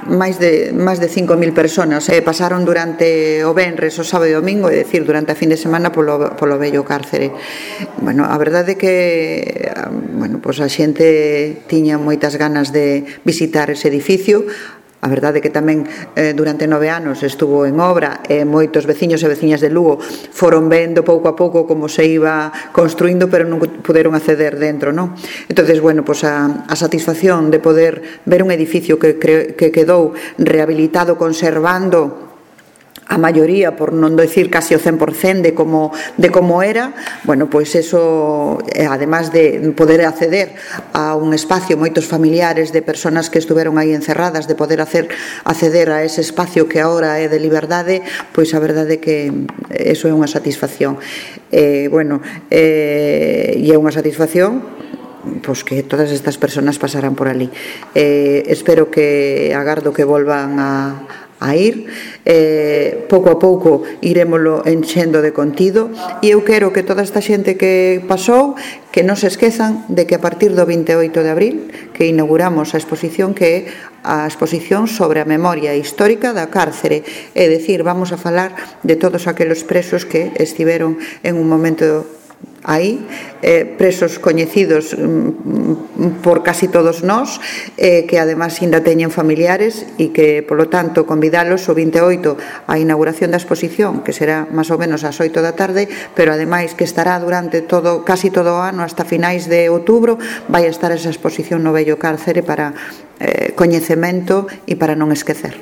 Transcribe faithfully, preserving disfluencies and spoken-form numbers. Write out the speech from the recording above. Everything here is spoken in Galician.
máis de, máis de cinco mil personas eh, pasaron durante o venres, o sábado e o domingo, é dicir, durante a fin de semana polo, polo vello cárcere. Bueno, a verdade é que bueno, pois a xente tiña moitas ganas de visitar ese edificio. A verdade é que tamén eh, durante nove anos estuvo en obra e moitos veciños e veciñas de Lugo foron vendo pouco a pouco como se iba construindo, pero non puderon acceder dentro, non? Entonces, bueno, pues a, a satisfacción de poder ver un edificio que, cre, que quedou rehabilitado, conservando a maioría, por non decir casi o cen por cento de como, de como era, bueno, pois eso, además de poder acceder a un espacio, moitos familiares de personas que estuveron aí encerradas, de poder hacer, acceder a ese espacio que agora é de liberdade, pois a verdade é que eso é unha satisfacción. Eh, bueno, eh, e é unha satisfacción pois que todas estas persoas pasaran por ali. Eh, espero que, agardo que volvan a a ir, eh, pouco a pouco irémolo enchendo de contido, e eu quero que toda esta xente que pasou que non se esquezan de que a partir do vinte e oito de abril que inauguramos a exposición, que é a exposición sobre a memoria histórica da cárcere, é dicir, vamos a falar de todos aqueles presos que estiveron en un momento aí, eh, presos coñecidos mm, por casi todos nós, eh, que además ainda teñen familiares, e que, polo tanto, convidalos o vinte e oito á inauguración da exposición, que será máis ou menos ás oito da tarde, pero ademais que estará durante todo, casi todo o ano, hasta finais de outubro, vai estar esa exposición no vello cárcere para eh, coñecemento e para non esquecer.